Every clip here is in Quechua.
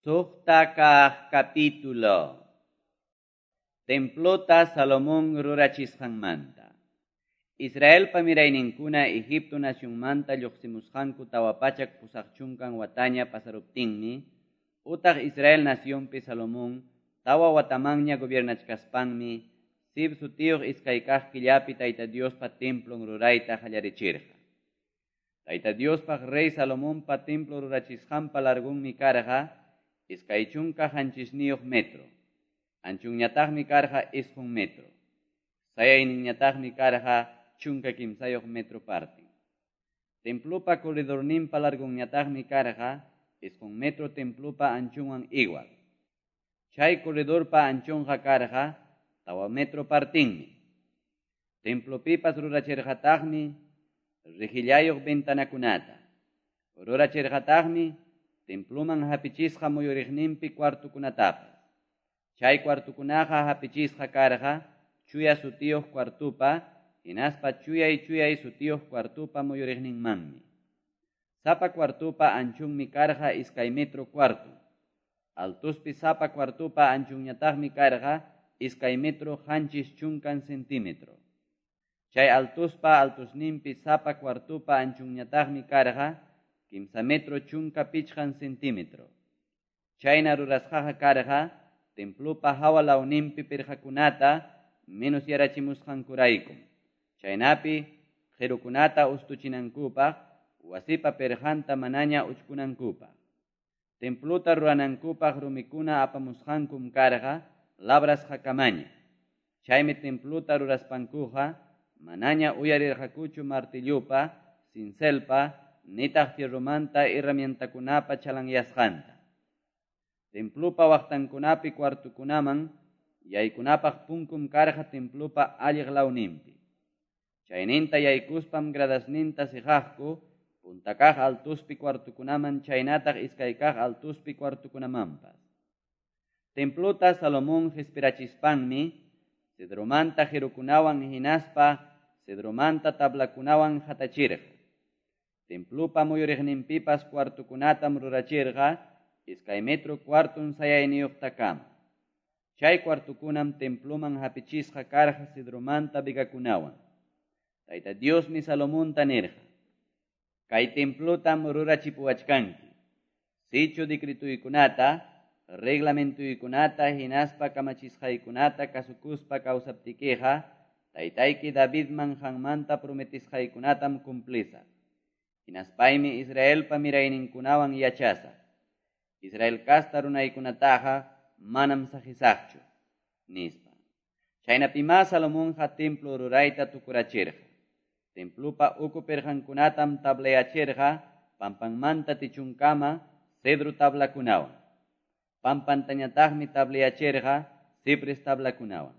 Suqta kaq capítulo. Templota Salomón rurachisqanmanta. Israelpa mirayninkuna Egipto nacionmanta lluqsimusqanku 480 wataña pasaruptinmi, utaq Israel nacionpi Salomón 4 watamanña gobiernachkaspanmi, Zif sutiyuq iskay kaq killapi Tayta Diospa templon rurayta qallarichirqa. Tayta Diospaq rey Salomonpa templo rurachisqanpa largunmi karqa 27 metro. Anchunñataqmi karqa 9 metro. Sayayninñataqmi karqa 13 metro partin. Templopa corredorninpa largunñataqmi karqa 9 metro templopa anchunwan igual. Chay corredorpa anchunqa karqa 4 metro partinmi. Templopipas rurachirqataqmi rejillayuq ventanakunata. Rurachirqataqmi temploman hapichisqa muyuriqninpi cuartukunatapas. Chay cuartukunaqa hapichisqa karqa chuya sutiyuq cuartupa hinaspa chuyay sutiyuq cuartupa muyuriqninmanmi. Sapa cuartupa anchunmi karqa 2 metro cuarto. Altuspi sapa cuartupa anchunñataqmi karqa 2 metro 70 centímetro. Chay altuspa altusninpi sapa cuartupa anchunñataqmi karqa 3 metro 15 centímetro. Chayna rurasqaqa karqa templopa hawa lawninpi pirqakunata menos yarachimusqankuraykum. Chaynapi qirukunata ustuchinankupaq wasipa pirqanta manaña uchkunankupaq. Templota ruranankupaq rumikuna apamusqankum karqa labrasqakamaña. Chaymi templota ruraspankuqa manaña uyarirqakuchu martillupa, cincelpa, nitaq fierromanta herramientakunapa chalanyasqanta. Templopa waqtankunapi cuartukunaman yaykunapaq punkum karqa templopa alliq lawninpi. Chayninta yaykuspam gradasninta siqaqku punta kaq altuspi cuartukunaman chaynataq iskay kaq altuspi cuartukunamanpas. Templota Salomón qispirachispanmi cedromanta qirukunawan hinaspa cedromanta tablakunawan hatachirqa. Templopa muyuriqninpipas cuartukunatam rurachirqa 2 metro cuarton sayayniyuqtakama. Chay cuartukunam temploman hapichisqa karqa cedromanta vigakunawan. Tayta Diosmi Salomonta nirqa: Kay templotam rurachipuwachkanki. Sichu decretuykunata, reglamentuykunata hinaspa kamachisqaykunata kasukuspa kawsaptikiqa, taytayki Davidman qanmanta prometisqaykunatam cumplisaq. Hinaspaymi Israelpa mirayninkunawan yachasaq. Israel kasta runaykunataqa manam saqisaqchu, nispa. Chaynapimá Salomonqa templo rurayta tukurachirqa. Templopa uku pirqankunatam tablayachirqa pampanmanta tichunkama cedro tablakunawan. Pampantañataqmi tablayachirqa cipres tablakunawan.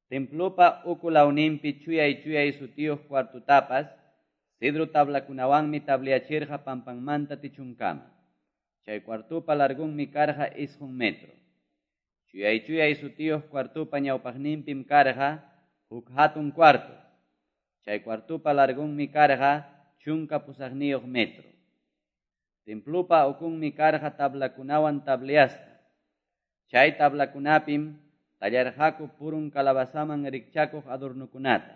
Templopa uku lawninpi chuyay sutiyuq cuartutapas cedro tablakunawanmi tablayachirqa pampanmanta tichunkama. Chay cuartupa largunmi karqa 9 metro. Chuyay sutiyuq cuartupa ñawpaqninpim karqa huk hatun cuarto. Chay cuartupa largunmi karqa 18 metro. Templopa ukunmi karqa tablakunawan tableasqa. Chay tablakunapim tallarqaku purun calabazaman rikchakuq adornukunata.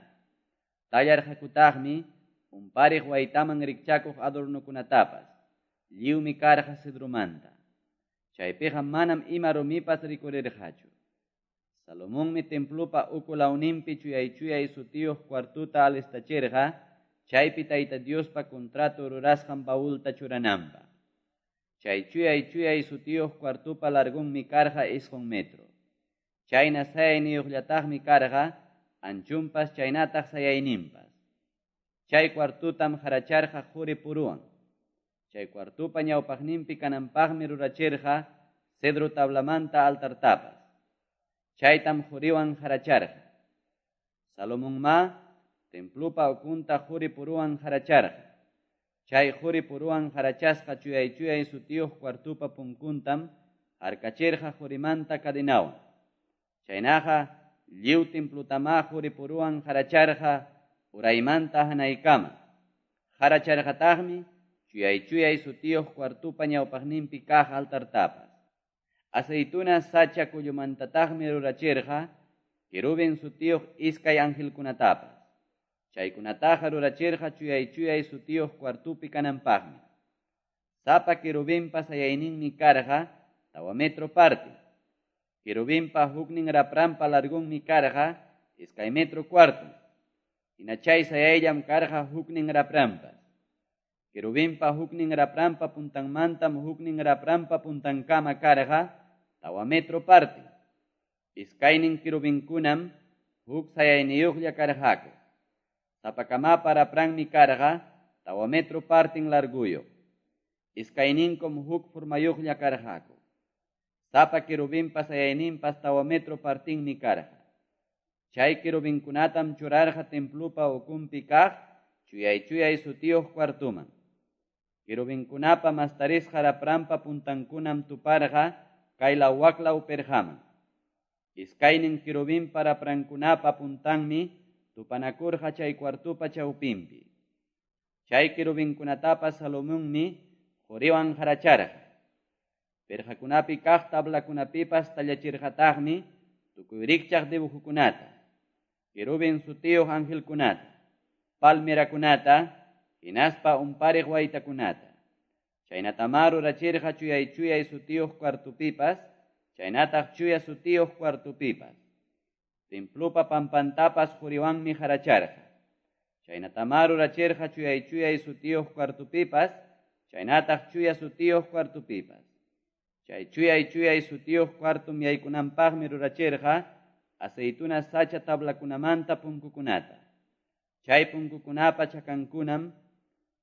Tallarqakutaqmi umpariq waytaman rikchakuq adornukunatapas. Lliwmi karqa cedromanta. Chaypiqa manam ima rumipas rikurirqachu. Salomonmi templopa uku lawninpi chuyay sutiyuq cuartuta alistachirqa, chaypi Tayta Diospa contrato rurasqan baulta churananpaq. Chay chuyay sutiyuq cuartupa largunmi karqa 9 metro. Chayna sayayniyuqllataqmi karqa anchunpas chaynataq sayayninpas. Chay cuartutam haracharqa quri puruwan. Chay cuartupa ñawpaqninpi kananpaqmi rurachirqa cedro tablamanta altartapas. Chaytam quriwan haracharqa. Salomonma templopa ukunta quri puruwan haracharqa. Chay quri puruwan harachasqa chuyay sutiyuq cuartupa punkuntam harkachirqa qurimanta cadenawan. Chaynaqa lliw templotamá quri puruwan haracharqa uraymanta hanaykama. Haracharqataqmi Chuyay-chuyay sutiyuq cuartopa ñawpaqninpi kaq altartapas. Aceituna sacha kullumantataqmi rurachirqa querubin sutiyuq iskay angelkunatapas. Chaykunataqa rurachirqa chuyay-chuyay sutiyuq cuartopi kananpaqmi. Sapa querubinpa sayayninmi karqa 4 metro parte. Querubinpa huknin rapranpa largunmi karqa 2 metro cuarto. Hina chay sayayllam karqa huknin rapranpas. Querubinpa huknin rapranpa puntanmantam huknin rapranpa puntankama karqa 4 metro parte. Iskaynin querubinkunam huk sayayniyuqlla karqaku. Sapakamapa rapranmi karqa 4 metro partin larguyuq. Iskayninkum huk formayuqlla karqaku. Sapa querubinpa sayayninpas 4 metro partinmi karqa. Chay querubinkunatam churarqa templupa ukunpi kaq chuyay-chuyay sutiyuq cuartuman. Querubinkunapa mastarisqa rapranpa puntankunam tuparqa kaylaw waklaw perqaman. Iskaynin querubinpa raprankunapa puntanmi tupanakurqa chay cuartupa chawpinpi. Chay querubinkunatapas Salomonmi qoriwan haracharqa. Perqakunapi kaq tablakunapipas tallachirqataqmi tukuy rikchaq dibujukunata, querubin sutiyuq angelkunata, palmerakunata, hinaspa umpariq waytakunata. Chaynatamá rurachirqa chuyay-chuyay sutiyuq cuartopipas, chaynataq chuya sutiyuq cuartopipas. Templupa pampantapas qoriwanmi haracharqa. Chaynatamá rurachirqa chuyay-chuyay sutiyuq cuartopipas, chaynataq chuya sutiyuq cuartopipas. Chay chuyay-chuyay sutiyuq cuartum yaykunanpaqmi rurachirqa aceituna sacha tablakunamanta punkukunata. Chay punkukunapa chakankunam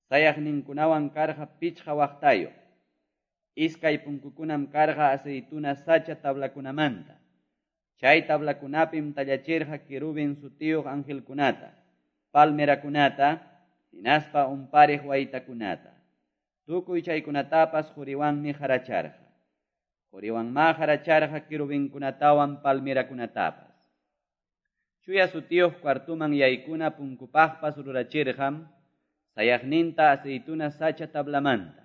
sayaqninkunawan karqa 5 waqtayuq. Iskay punkukunam karqa aceituna sacha tablakunamanta. Chay tablakunapim tallachirqa querubin sutiyuq angelkunata, palmerakunata, hinaspa umpariq waytakunata. Tukuy chaykunatapas qoriwanmi haracharqa. Qoriwanmá haracharqa querubinkunatawan palmerakunatapas. Chuya sutiyuq cuartuman yaykuna punkupaqpas rurachirqam sayaqninta aceituna sacha tablamanta.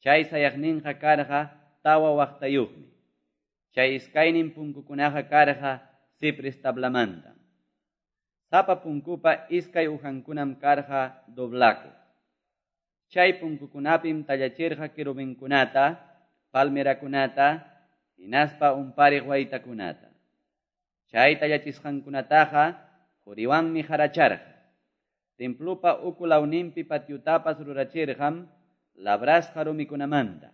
Chay sayaqninqa karqa 4 waqtayuqmi. Chay iskaynin punkukunaqa karqa cipres tablamanta. Sapa punkupa iskay ujankunam karqa doblaku. Chay punkukunapim tallachirqa querubinkunata, palmerakunata, hinaspa umpariq waytakunata. Chay tallachisqankunataqa qoriwanmi haracharqa. Templupa ukulawninpi patiutapas rurachirqam labrasqa rumikunamanta.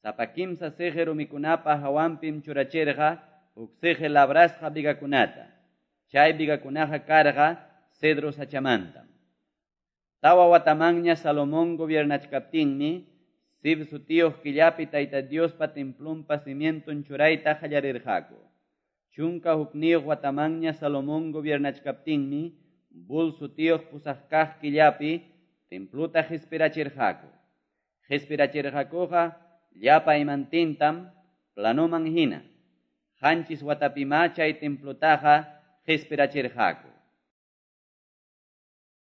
Sapa 3 siqi rumikunapa hawanpim churachirqa huk siqi labrasqa vigakunata. Chay vigakunaqa karqa cedro sachamantam. 4 watamanña Salomón gobiernachkaptinmi Zif sutiyuq killapi Tayta Diospa templunpa cimienton churayta qallarirqaku. 11 watamanña Salomón gobiernachkaptinmi Bul sutiyuq pusaq kaq killapi templuta qispirachirqaku. Qispirachirqakuqa llapa imantintam planoman hina. 7 watapimá chay templutaqa qispirachirqaku.